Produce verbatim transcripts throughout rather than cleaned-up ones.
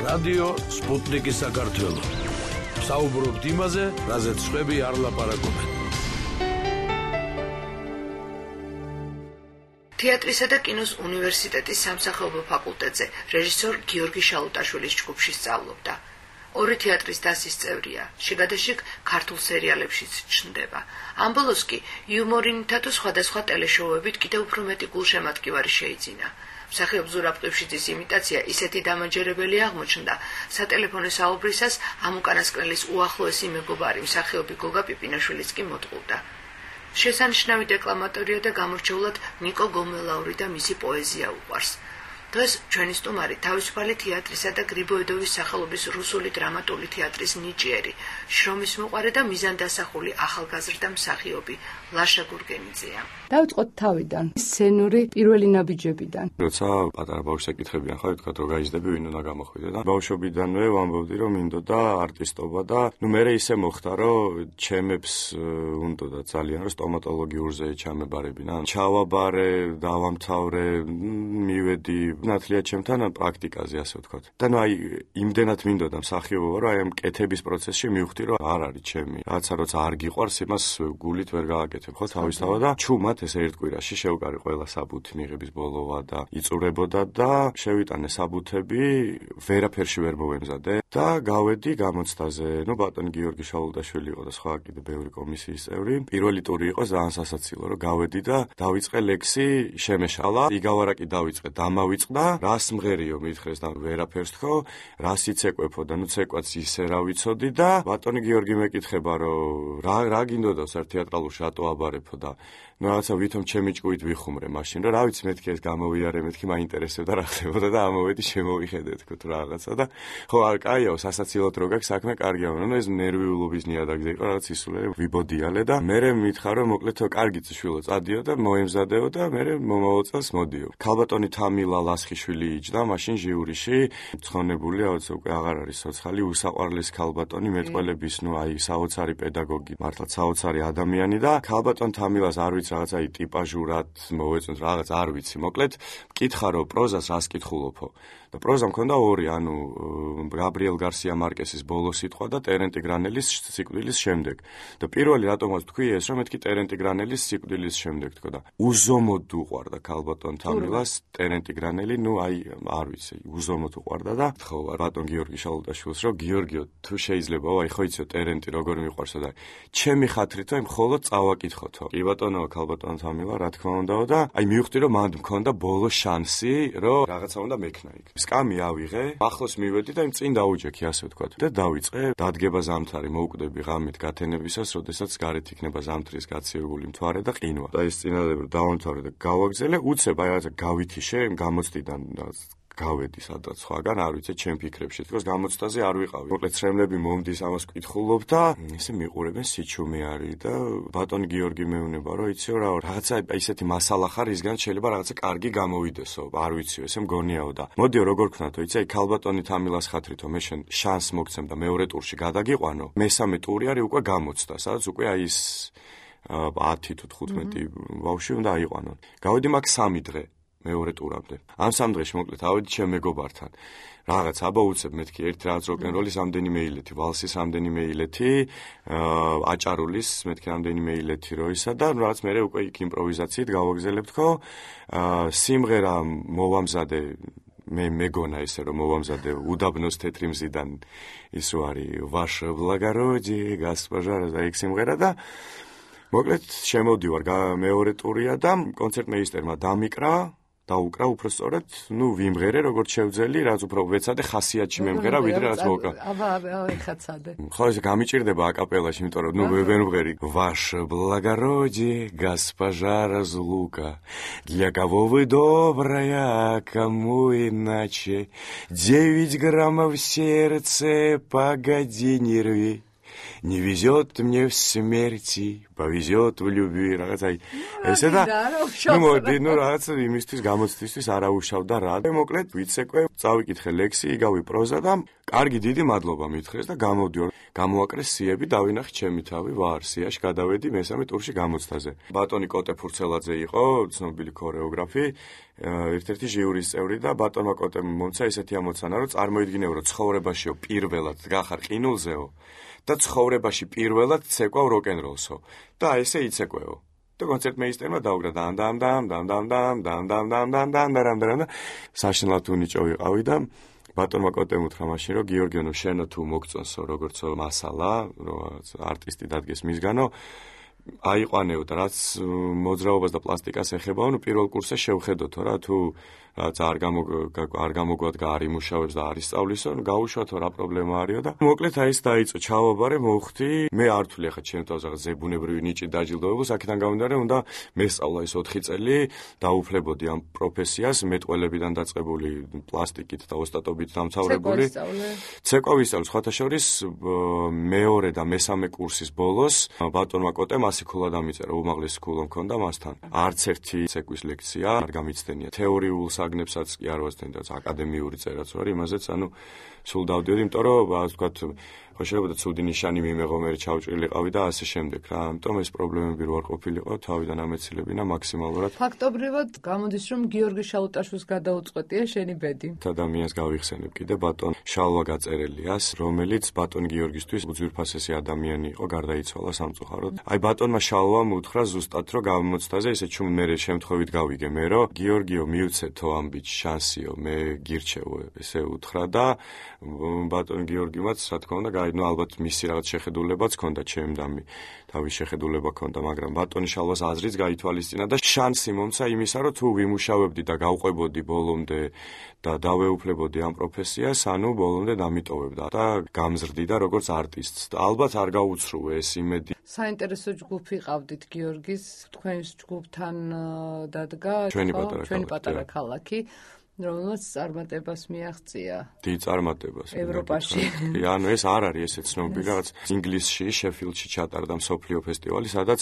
რადიო სპუტნიკი საქართველო. საუბრობთ იმაზე, რაზეც სხვები არ ლაპარაკობენ. თეატრისა და კინოს უნივერსიტეტის სამსახიობო ფაკულტეტზე რეჟისორ გიორგი შალუტაშვილის ჯგუფში სწავლობდა. ორი თეატრის დასის წევრია, შიგადაშიგ ქართულ სერიალებშიც ჩნდება. ამ ბოლოს კი იუმორინითა თუ სხვადასხვა ტელეშოუებით კიდევ უფრო მეტი გულშემატკივარი შეიძინა. მსახიობ ზურაბ ყიფშიძის იმიტაცია ისეთი დამაჯერებელი აღმოჩნდა, სატელეფონო საუბრისას ამ უკანასკნელის უახლოესი მეგობარი მსახიობი გოგა პიპინაშვილიც კი მოტყუდა. შესანიშნავი დეკლამატორია და გამორჩეულად ნიკო გომელაური და მისი პოეზია უყვარს. დღეს ჩვენი სტუმარი თავისუფალი თეატრისა და გრიბოედოვის სახელობის რუსული დრამატული თეატრის ნიჭიერი, შრომის მოყვარე და მიზანდასახული ახალგაზრდა მსახიობი ლაშა გურგენიძეა. დავიწყოთ თავიდან, სცენური პირველი ნაბიჯებიდან. როცა პატარა ბავშვს ეკითხებიან, ხო, თქვა რომ გაიზრდები, ვინ უნდა გამოხვიდე და ბავშვობიდანვე ვამბობდი, რომ მინდოდა არტისტობა და ნუ მე ისე მოხდა, რომ ჩემებს უნდოდა ძალიან რომ სტომატოლოგიურზე ჩამებარებინა. ჩავაბარე, დავამთავრე, მივედი ნათლია ჩემთან პრაქტიკაზე, ასე ვთქვათ. და ნუ აი იმდენად მინდოდა მსახიობობა, რომ აი ამ კეთების პროცესში მივხვდი, რომ არ არის ჩემი. რაცა როცა არ გიყვარს, იმას გულით ვერ გააკეთებ, ხო, თავისთავად და ჩუმად ეს ერთ კვირაში შევკარი ყველა საბუთი მიღების ბოლოვა და იწურებოდა და შევიტანე საბუთები, ვერაფერში ვერ მოვემზადე და გავედი გამოცდაზე. ნუ ბატონი გიორგი შალუტაშვილი იყო და სხვა კიდე ბევრი კომისიის წევრი. პირველი ტური იყო ძალიან სასაცილო, რომ გავედი და დავიწყე ლექსი შემეშალა, იგავარაკი დავიწყე, დამავიწყდა, რას მღერიო მითხრეს და ვერაფერს თქო, რას იცეკვეფო და ნუ ცეკვაც ისე რა ვიცოდი და ბატონი გიორგი მეკითხება, რომ რა რა გინდოდავს ერთ თეატრალურში რატო აბარებო და ნუ რაღაცა ვითომ ჩემი ჭკუით ვიხუმრე მაშინ, რომ რა ვიცი მეთქი ეს გამოვიარე, მეთქი მაინტერესებდა რა ხდებოდა და ამოვედი შემოვიხედე თქო თუ რაღაცა და ხო არ კაიაო, სასაცილოდ რო გაქვს საქმე კარგია, მაგრამ ეს ნერვიულობის ნიადაგზე იყო რაღაც ისულე ვიბოდიალე და მე მითხრა რომ მოკლედ კარგი შვილო წადიო და მოემზადეო და მე მომავალ წელს მოდიო. ქალბატონი თამილა ლასხიშვილი იჯდა მაშინ ჟიურიში, ცხონებული რაღაც უკვე აღარ არის ცოცხალი, უსაყვარლეს ქალბატონი მეტყველების, ნუ აი საოცარი პედაგოგი, მართლა საოცარი ადამიანი და ქალბატონ თამილას არ რაღაცა ტიპაჟურად მოვეწონთ რაღაც არ ვიცი მოკლედ მკითხა რომ პროზას რას კითხულობო და პროზა მქონდა ორი ანუ გაბრიელ გარსია მარკესის ბოლო სიტყვა და ტერენტი გრანელის სიკვდილის შემდეგ და პირველი რატომაც თქვი ეს რომ მეთქი ტერენტი გრანელის სიკვდილის შემდეგ თქო და უზომოდ უყვარდა ქალბატონ თამილას ტერენტი გრანელი ნუ აი არ ვიცი უზომოდ უყვარდა და ხო ბატონ გიორგი შალუტაშვილს რომ გიორგიო თუ შეიძლება აი ხო იცი ტერენტი როგორ მიყვარსო და ჩემი ხათრით აი მხოლოდ წავაკითხოთო კი ბატონო ქალბატონ თამილა რა თქმა უნდაო და აი მივხვდი რომ მანდ მქონდა ბოლო შანსი რომ რაღაცა უნდა მექნა იქ სკამი ავიღე ახლოს მივედი და იმ წინ დაუჯექი ასე ვთქვათ და დავიწყე დადგება ზამთარი მოვკვდები ღამით გათენებისას როდესაც გარეთ იქნება ზამთრის გაცივებული მთვარე და ყინვა და ეს წინადადება დავამთავრე და გავაგზელე უცებ აი რაღაცა გავითიშე გამოცდიდან გავედი სადაც სხვაგან არ ვიცი ჩემ ფიქრებში თქოს გამოცდაზე არ ვიყავი მოკლედ ცრემლები მომდის ამას ვკითხულობ და ესე მიყურებენ სიჩუმე არის და ბატონი გიორგი მეუნება რომ იციო რა რაღაცა ისეთი მასალა ხარ ისგან შეიძლება რაღაცა კარგი გამოვიდესო არ ვიციო ესე მგონიაო და მოდიო როგორ ქნათო იცი აი ქალბატონი თამილას ხათრითო მე შენ შანს მოგცემ და მეორე ტურში გადაგიყვანო მესამე ტური არის უკვე გამოცდა სადაც უკვე აი ის ათი თუ თხუთმეტი ბავშვი უნდა აიყვანონ გავედი მაგ სამი დღე მეორე ტურამდე. ამ სამ დღეში მოკლედ ავედი ჩემ მეგობართან. რაღაც აბა უცებ მეთქი ერთი რაღაც როკ-ენ-როლის ამდენიმე ილეთი, ვალსის ამდენიმე ილეთი, აჭარულის მეთქი ამდენიმე ილეთი როისა და რაღაც მე უკვე იქ იმპროვიზაციით გავაგზელებთქო. სიმღერა მოვამზადე მე მეგონა ისე რომ მოვამზადე უდაბნოს თეთრი მზიდან ის რო არის ვაშ ბლაგაროჯი გასპაჟარა და იქ სიმღერა და მოკლედ შემოვდივარ მეორე ტურია და კონცერტმეისტერმა დამიკრა დაუკრა უფრო სწორად, ნუ ვიმღერე როგორც შევძელი, რაც უფრო ვეცადე ხასიათში მემღერა, ვიდრე რაც მოვკა. აბა, აბა, ეხაცადე. ხო, ეს გამიჭირდება აკაპელაში, იმიტომ რომ ნუ ვერ ვმღერი. Ваше благородие, госпожа разлука, для кого вы добрая, кому иначе, девять граммов сердце, погоди, не рви. не везет мне в смерти, повезет в любви, რაღაც აი ესე და ну მოდი, ну რაღაც იმისთვის გამოცდისთვის არაუშავდა რა. მოკლედ ვიცეკვე, წავიკითხე ლექსი, იგავი პროზა და კარგი დიდი მადლობა მითხრეს და გამოვდიო. გამოაკრეს სიები, დავინახე ჩემი თავი ვარ, სიაში გადავედი მესამე ტურში გამოცდაზე. ბატონი კოტე ფურცელაძე იყო, ცნობილი ქორეოგრაფი, ერთ-ერთი ჟიურის წევრი და ბატონმა კოტემ მომცა ესეთი ამოცანა, რომ წარმოიდგინეო, რომ ცხოვრებაშიო პირველად გახარ ყინულზეო და ცხოვრებაში პირველად ცეკვავ როკენროლსო და ესე იცეკვეო. და კონცერტმეისტერმა დაუგრა დამ დამ დამ დამ დამ დამ დამ დამ დამ დამ დამ დამ დამ და საშინლად უნიჭო ვიყავი და ბატონმა კოტემ უთხრა მაშინ რომ გიორგიანო შენო თუ მოგწონსო როგორცო მასალა რომ არტისტი დადგეს მისგანო აიყვანეო და რაც მოძრაობას და პლასტიკას ეხებაო ნუ პირველ კურსზე შევხედოთო რა თუ რაც არ გამო არ გამოგვადგა არ იმუშავებს და არ ისწავლისო ნუ გაუშვათო რა პრობლემა არისო და მოკლედ აი ეს დაიწყო ჩავაბარე მოვხდი მე არ თვლი ახლა ჩემ თავზე რაღაც ზებუნებრივი ნიჭი დაჯილდოებულს აქედან გამომდინარე უნდა მესწავლა ეს ოთხი წელი დაუფლებოდი ამ პროფესიას მეტყველებიდან დაწყებული პლასტიკით და ოსტატობით დამცავრებული ცეკვა ვისწავლე სხვათა შორის მეორე და მესამე კურსის ბოლოს ბატონმა კოტემ ასი ქულა დამიწერა უმაღლესი ქულა მქონდა მასთან არც ერთი ცეკვის ლექცია არ გამიცდენია თეორიულ საგნებსაც კი არ ვასწენდა აკადემიური წერაც ვარ იმაზეც ანუ სულ დავდიოდი იმიტომ რომ ასე ვთქვათ ხო შეიძლება ცუდი ნიშანი მიმეღო მე ჩავჭრილიყავი და ასე შემდეგ რა ამიტომ ეს პრობლემები რო არ ყოფილიყო თავიდან ამეცილებინა მაქსიმალურად ფაქტობრივად გამოდის რომ გიორგი შალუტაშვილს გადაუწყვეტია შენი ბედი ადამიანს გავიხსენებ კიდე ბატონ შალვა გაწერელიას რომელიც ბატონ გიორგისთვის უძვირფასესი ადამიანი იყო გარდაიცვალა სამწუხაროდ აი ბატონმა შალვამ უთხრა ზუსტად რომ გამოცდაზე ესე ჩუმ მე შემთხვევით გავიგე მე რომ გიორგიო მიუცეთო ამ ბიჭ შანსიო მე გირჩევო ესე უთხრა და ბატონ გიორგიმაც რა თქმა უნდა ну ალბათ მისი რაღაც შეხედულებაც ჰქონდა ჩემდამი თავის შეხედულება ჰქონდა მაგრამ ბატონი შალვას აზრიც გაითვალისწინა და შანსი მომცა იმისა რომ თუ ვიმუშავებდი და გავყვებოდი ბოლომდე და დავეუფლებოდი ამ პროფესიას ანუ ბოლომდე დამიტოვებდა და გამზრდი და როგორც არტისტს და ალბათ არ გაუცრუე ეს იმედი საინტერესო ჯგუფი ყავდით გიორგის თქვენს ჯგუფთან დადგა ჩვენი პატარა ქალაქი რომელსაც წარმატებას მიაღწია. დიდ წარმატებას. ევროპაში. ანუ ეს არ არის ესე ცნობილი რაღაც ინგლისში, შეფილდში ჩატარდა მსოფლიო ფესტივალი, სადაც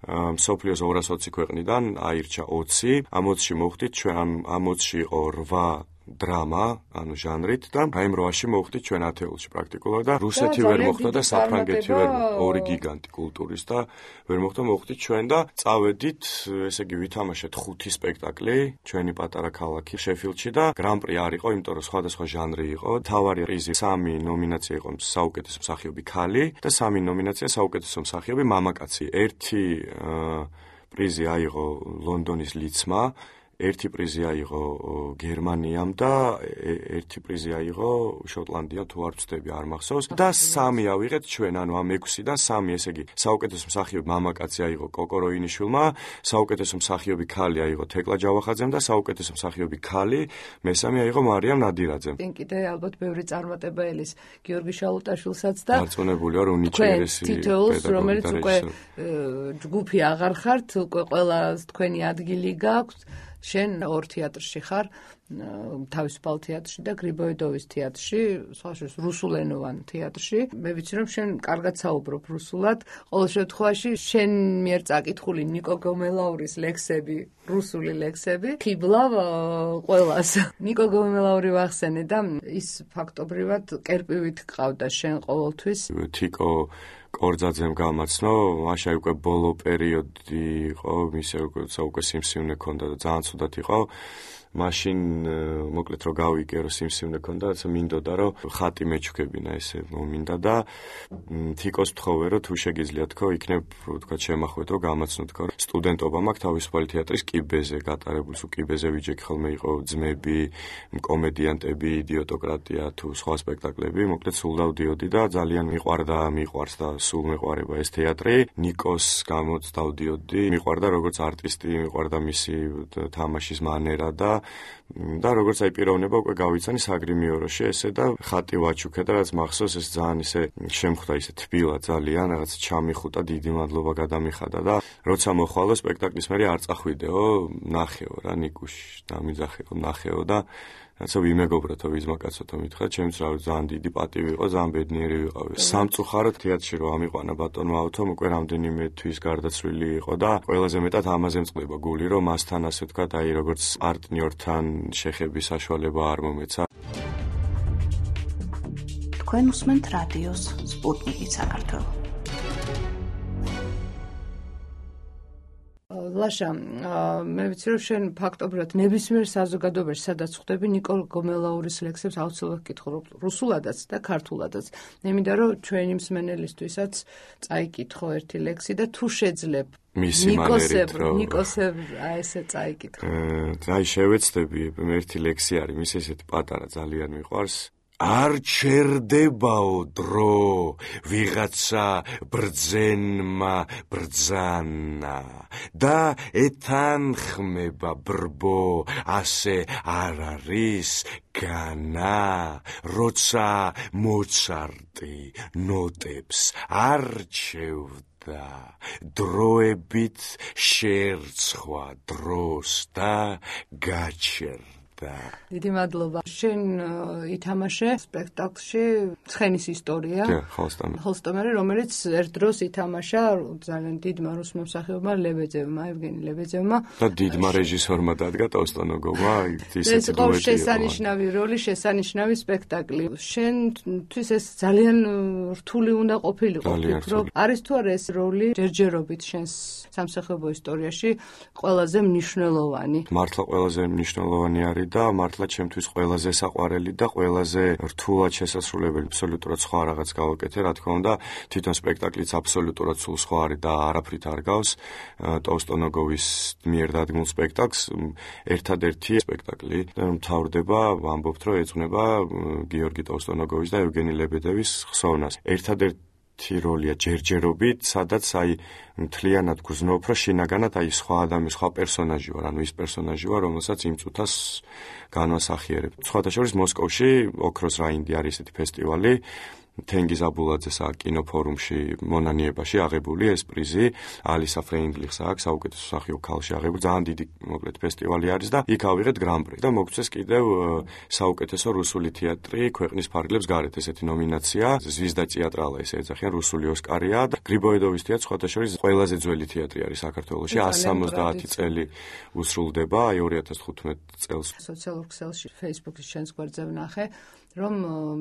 მსოფლიოს ორას ოცი ქვეყნიდან აირჩა ოცი. ამ ოცში მოხვდით ჩვენ ამ ოცში იყო რვა დრამა, ანუ ჟანრით და აი ამ რვაში მოხვდით ჩვენ ათეულში პრაქტიკულად და რუსეთი ვერ მოხვდა და საფრანგეთი ვერ ორი გიგანტი კულტურის და ვერ მოხვდა მოხვდით ჩვენ და წავედით, ესე იგი ვითამაშეთ ხუთი სპექტაკლი ჩვენი პატარა ქალაქი შეფილდში და გრან-პრი არ იყო, იმიტომ რომ სხვადასხვა ჟანრი იყო. თავარი პრიზი სამი ნომინაცია იყო საუკეთესო მსახიობი ქალი და სამი ნომინაცია საუკეთესო მსახიობი მამაკაცი. ერთი პრიზი აიღო ლონდონის ლიცმა ერთი პრიზი აიღო გერმანიამ და ერთი პრიზი აიღო შოტლანდიამ თუ არ ვცდები არ მახსოვს და სამი ავიღეთ ჩვენ ანუ ამ ექვსიდან სამი ესე იგი საუკეთესო მსახიობი მამაკაცი აიღო კოკო როინიშვილმა საუკეთესო მსახიობი ქალი აიღო თეკლა ჯავახაძემ და საუკეთესო მსახიობი ქალი მესამე აიღო მარიამ ნადირაძემ. კიდე ალბათ ბევრი წარმატება ელის გიორგი შალუტაშვილსაც და დარწმუნებულია რომ უნიჭიერესი თითოეულს რომელიც უკვე ჯგუფი აღარ ხართ უკვე ყველა თქვენი ადგილი გაქვთ შენ ორ თეატრში ხარ თავისუფალ თეატრში და გრიბოედოვის თეატრში, სხვაშორის რუსულენოვან თეატრში. მე ვიცი რომ შენ კარგად საუბრობ რუსულად. ყოველ შემთხვევაში შენ მიერ წაკითხული ნიკო გომელაურის ლექსები, რუსული ლექსები, ხიბლავ ყველას. ნიკო გომელაური ვახსენე და ის ფაქტობრივად კერპივით ყავდა შენ ყოველთვის. თიკო კორძაძემ გამაცნო, მაშინ უკვე ბოლო პერიოდი იყო, მისე უკვე სიმსივნე ქონდა და ძალიან ცუდად იყო. მაშინ მოკლედ რომ გავიგე რომ სიმსივნე ქონდა, რაცა მინდოდა რომ ხატი მეჩქებინა ესე მომინდა და თიკოს ვთხოვე რომ თუ შეგიძლია თქო, იქნებ თქვა შემახვეთ რომ გამაცნო თქო. სტუდენტობა მაქვს თავისუფალი თეატრის კიბეზე გატარებული, სულ კიბეზე ვიჯექი ხოლმე იყო ძმები, კომედიანტები, იდიოტოკრატია თუ სხვა სპექტაკლები, მოკლედ სულ დავდიოდი და ძალიან მიყვარდა, მიყვარს და სულ მეყვარება ეს თეატრი. ნიკოს გამოც დავდიოდი, მიყვარდა როგორც არტისტი, მიყვარდა მისი თამაშის მანერა და და როგორც აი პიროვნება უკვე გავიცანი საგრიმიოროში ესე და ხატი ვაჩუქე და რაც მახსოვს ეს ძალიან ისე შემხვდა ისე თბილა ძალიან რაღაც ჩამიხუტა დიდი მადლობა გადამიხადა და როცა მოხვალო სპექტაკლის მერე არ წახვიდეო ნახეო რა ნიკუში დამიძახეო ნახეო და როცა ვიმეგობროთო ვიზმაკაცოთო მითხრა, ჩემს რა ძალიან დიდი პატივი იყო, ძალიან ბედნიერი ვიყავი. სამწუხაროდ თეატრში რომ ამიყვანა ბატონმა ავთომ, უკვე რამდენიმე თვის გარდაცვლილი იყო და ყველაზე მეტად ამაზე მწყდება გული, რომ მასთან ასე ვთქვათ, აი როგორც პარტნიორთან შეხების საშუალება არ მომეცა. თქვენ უსმენთ რადიოს სპუტნიკი საქართველო. ლაშა, მე ვიცი რომ შენ ფაქტობრივად ნებისმიერ საზოგადოებაში სადაც ხვდები ნიკოლ გომელაურის ლექსებს აუცილებლად კითხო რუსულადაც და ქართულადაც. იმიტომ რომ ჩვენი მსმენელისთვისაც წაიკითხო ერთი ლექსი და თუ შეძლებ ნიკოსებ ნიკოსებ აი ესე წაიკითხო. აი შევეცდები, ერთი ლექსი არის, მის ესეთი პატარა ძალიან მიყვარს. არ ჩერდებაო დრო, ვიღაცა ბრძენმა ბრძანა და ეთანხმება ბრბო, ასე არ არის განა, როცა მოცარტი ნოტებს არჩევდა, დროებით შეერცხვა დროს და გაჩერდა. დიდი მადლობა. შენ ითამაშე სპექტაკლში ცხენის ისტორია. ჰოლსტომერი, რომელიც ერთ დროს ითამაშა ძალიან დიდმა რუს მომსახიობმა ლებედევმა, ევგენი ლებედევმა. და დიდმა რეჟისორმა დადგა ტოსტონოგოვმა, ისეთი ეს იყო შესანიშნავი როლი, შესანიშნავი სპექტაკლი. შენთვის ეს ძალიან რთული უნდა ყოფილიყო, რომ არის თუ არა ეს როლი ჯერჯერობით შენს სამსახიობო ისტორიაში ყველაზე მნიშვნელოვანი. მართლა ყველაზე მნიშვნელოვანი არის და მართლა ჩემთვის ყველაზე საყვარელი და ყველაზე რთულად შესასრულებელი, აბსოლუტურად სხვა რაღაც გავაკეთე, რა თქმა უნდა, თვითონ სპექტაკლიც აბსოლუტურად სულ სხვა არის და არაფრით არ გავს ტოსტონოგოვის მიერ დადგმულ სპექტაკლს. ერთადერთი სპექტაკლი მთავრდება, ვამბობთ, რომ ეძღვნება გიორგი ტოსტონოგოვის და ევგენი ლებედევის ხსოვნას. ერთადერთი როლია ჯერჯერობით, სადაც აი მთლიანად გრძნობ, რომ შინაგანად აი სხვა ადამი, სხვა პერსონაჟი ვარ, ანუ ის პერსონაჟი ვარ, რომელსაც იმ წუთას განვასახიერებ. სხვათა შორის მოსკოვში ოქროს რაინდი არის ესეთი ფესტივალი, თენგიზ აბულაძეს კინოფორუმში მონანიებაში აღებული ეს პრიზი, ალისა ფრეინდლიხს აქვს საუკეთესო მსახიობ ქალში აღებული, ძალიან დიდი მოკლედ ფესტივალი არის და იქ ავიღეთ გრან-პრი და მოგწეს კიდევ საუკეთესო რუსული თეატრი ქვეყნის ფარგლებს გარეთ ესეთი ნომინაცია, ზვიზდა თეატრალა ესე ეძახიან, რუსული ოსკარია და გრიბოედოვის თეატრი სხვათა შორის ყველაზე ძველი თეატრი არის საქართველოში, εκατს სამოცდაათი წელი უსრულდება, აი ორი ათას თხუთმეტ წელს. სოციალურ ქსელში Facebook-ის შენს გვერდზე ვნახე, რომ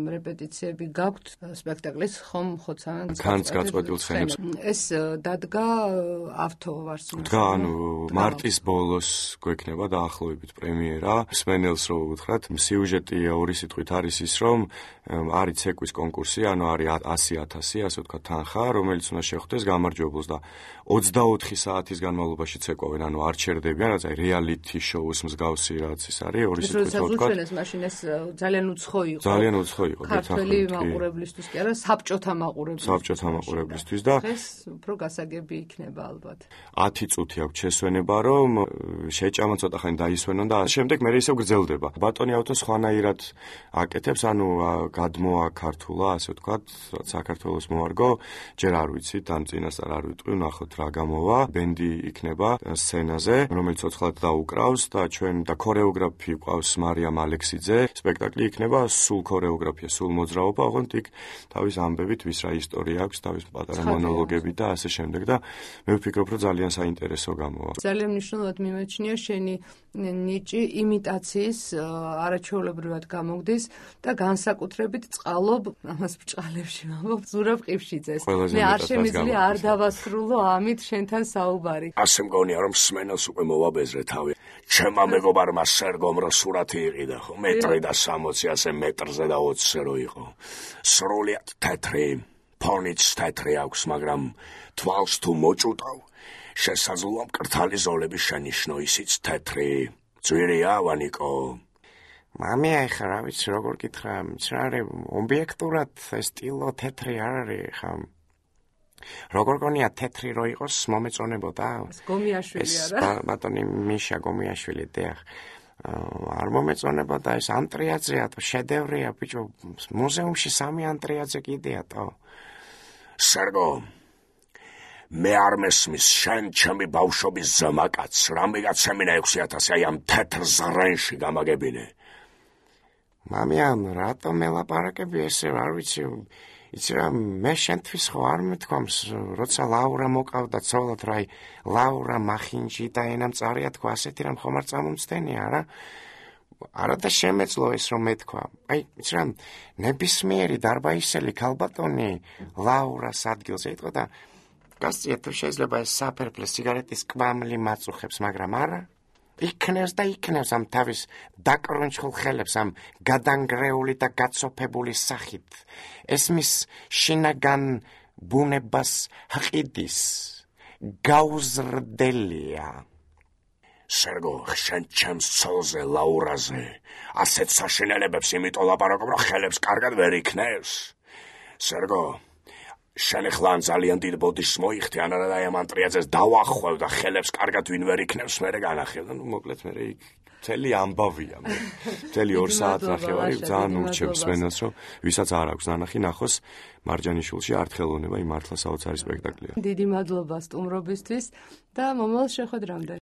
რეპეტიციები გაქვთ სპექტაკლის ხომ ხოცავენ ქანს გაწყვეტილ ცხენებს. ეს დადგა ავთო ვარს. დგა, ანუ მარტის ბოლოს გვექნება დაახლოებით პრემიერა. მსმენელს რო უთხრათ, სიუჟეტი ორი სიტყვით არის ის, რომ არის ცეკვის კონკურსი, ანუ არის ასი ათასი, ასე ვთქვათ, თანხა, რომელიც უნდა შეხვდეს გამარჯვებულს და ოცდაოთხი საათის განმავლობაში ცეკვავენ, ანუ არ ჩერდებიან, რაც აი რეალიტი შოუს მსგავსი რაც ის არის, ორი სიტყვით რო ვთქვათ. ეს მაშინ ეს ძალიან უცხო იყო. ძალიან უცხო იყო ქართველი მაყურებლისთვის კი არა, საბჭოთა მაყურებლისთვის. საბჭოთა მაყურებლისთვის და ეს უფრო გასაგები იქნება ალბათ. ათი წუთი აქვს შესვენება, რომ შეჭამა ცოტა ხანი დაისვენონ და შემდეგ მე ისევ გრძელდება. ბატონი ავთო სხვანაირად აკეთებს, ანუ გადმოა ქართულა, ასე ვთქვათ, საქართველოს მოარგო, ჯერ არ ვიცით, ამ წინასწარ არ ვიტყვი, ნახოთ რა გამოვა. ბენდი იქნება სცენაზე, რომელიც ცოცხლად დაუკრავს და ჩვენ და ქორეოგრაფი ყავს მარიამ ალექსიძე. სპექტაკლი იქნება სულ ქორეოგრაფია, სულ მოძრაობა, ოღონდ იქ თავის ამბებით, ვის რა ისტორია აქვს, თავის პატარა მონოლოგები და ასე შემდეგ და მე ვფიქრობ, რომ ძალიან საინტერესო გამოვა. ძალიან მნიშვნელოვნად მიმაჩნია შენი ნიჭი იმიტაციის არაჩვეულებრივად გამოგდის და განსაკუთრებით წყალობ ამას ბჭყალებში ვამბობ ზურაბ ყიფშიძეს. მე არ შემიძლია არ დავასრულო ამით შენთან საუბარი. ასე მგონია, რომ სმენელს უკვე მოვაბეზრე თავი. ჩემმა მეგობარმა სერგომ რო სურათი იყიდა, ხო, მეტრი და სამოცი ასე მეტრზე და ოცზე რო იყო. სრულიად თეთრი, ფონიც თეთრი აქვს, მაგრამ თვალს თუ მოჭუტავ, შესაძლოა მკრთალი ზოლები შენიშნო, ისიც თეთრი. ძვირია, ვანიკო. მამი, ახლა რა ვიცი, როგორ გითხრა, მცრარი ობიექტურად სტილო თეთრი არ არის, ხა. როგორ გონია თეთრი რო იყოს, მომეწონებოდა. გომიაშვილი არა? ბატონი მიშა გომიაშვილი, დიახ. არ მომეწონებოდა ეს ანტრიაძეა, შედევრია, ბიჭო, მუზეუმში სამი ანტრიაძე კიდეა, თო. სერგო, მე არ მესმის შენ ჩემი ბავშვობის ზმაკაც, რამე გაცემინა ექვსი ათასი აი ამ თეთრ ზრენში გამაგებინე. მამიან, რატომ მელაპარაკები ესე, არ ვიცი, იცი რა, მე შენთვის ხო არ მეთქვამს, როცა ლაურა მოკავდა ცოლად, რა, ლაურა მახინჯი და ენამწარია თქვა, ასეთი რამ ხომ არ წამომცდენია, რა? არა და შემეძლო ეს რომ მეთქვა. აი, იცი რა, ნებისმიერი დარბაისელი ქალბატონი ლაურას ადგილზე იტყვა და გასწია თუ შეიძლება ეს საფერფლე სიგარეტის კვამლი მაწუხებს, მაგრამ არა. იქნევს და იქნევს ამ თავის დაკრონჩხულ ხელებს ამ გადანგრეული და გაცოფებული სახით. ესმის შინაგან ბუნებას ჰყიდის, გაუზრდელია. სერგო, შენ ჩემს ცოლზე, ლაურაზე, ასეთ საშინელებებს იმიტომ ლაპარაკობ, რომ ხელებს კარგად ვერ იქნევს. სერგო, შენ ახლა ძალიან დიდ ბოდიშს მოიხდი, ან არა და ამ ანტრიაძეს დავახვევ და ხელებს კარგად ვინ ვერ იქნევს, მერე განახილ. ნუ მოკლედ მერე იქ მთელი ამბავია. მთელი ორ საათ ნახევარი ძალიან ურჩევს სვენელს, რომ ვისაც არ აქვს ნანახი ნახოს მარჯანიშვილში არტ ხელოვნება იმ მართლა საოცარი სპექტაკლია. დიდი მადლობა სტუმრობისთვის და მომავალ შეხვედრამდე.